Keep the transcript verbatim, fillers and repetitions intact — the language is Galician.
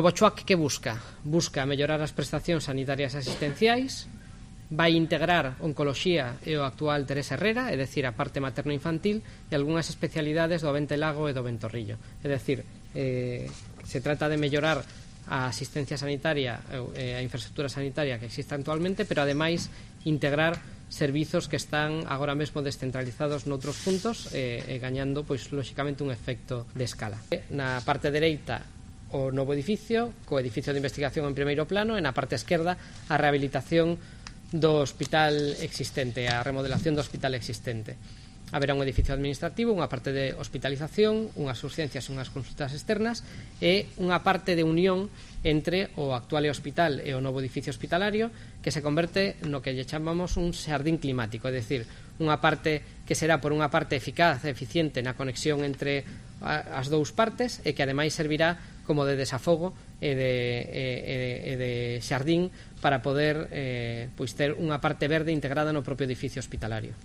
O Bochoac que busca? Busca mellorar as prestacións sanitarias e asistenciais, vai integrar oncoloxía e o actual Teresa Herrera, é dicir, a parte materno-infantil e algunhas especialidades do Vente Lago e do Ventorrillo. É dicir, eh, se trata de mellorar a asistencia sanitaria e a infraestructura sanitaria que existe actualmente, pero ademais integrar servizos que están agora mesmo descentralizados noutros puntos e, e gañando, pois, lóxicamente, un efecto de escala. Na parte dereita, o novo edificio, co edificio de investigación en primeiro plano, e na parte esquerda a rehabilitación do hospital existente, a remodelación do hospital existente. Haberá un edificio administrativo, unha parte de hospitalización, unhas urxencias e unhas consultas externas e unha parte de unión entre o actual hospital e o novo edificio hospitalario que se converte no que lle chamamos un xardín climático, é dicir, unha parte que será por unha parte eficaz e eficiente na conexión entre as dous partes e que ademais servirá como de desafogo e de, e, e de xardín para poder eh, pois ter unha parte verde integrada no propio edificio hospitalario.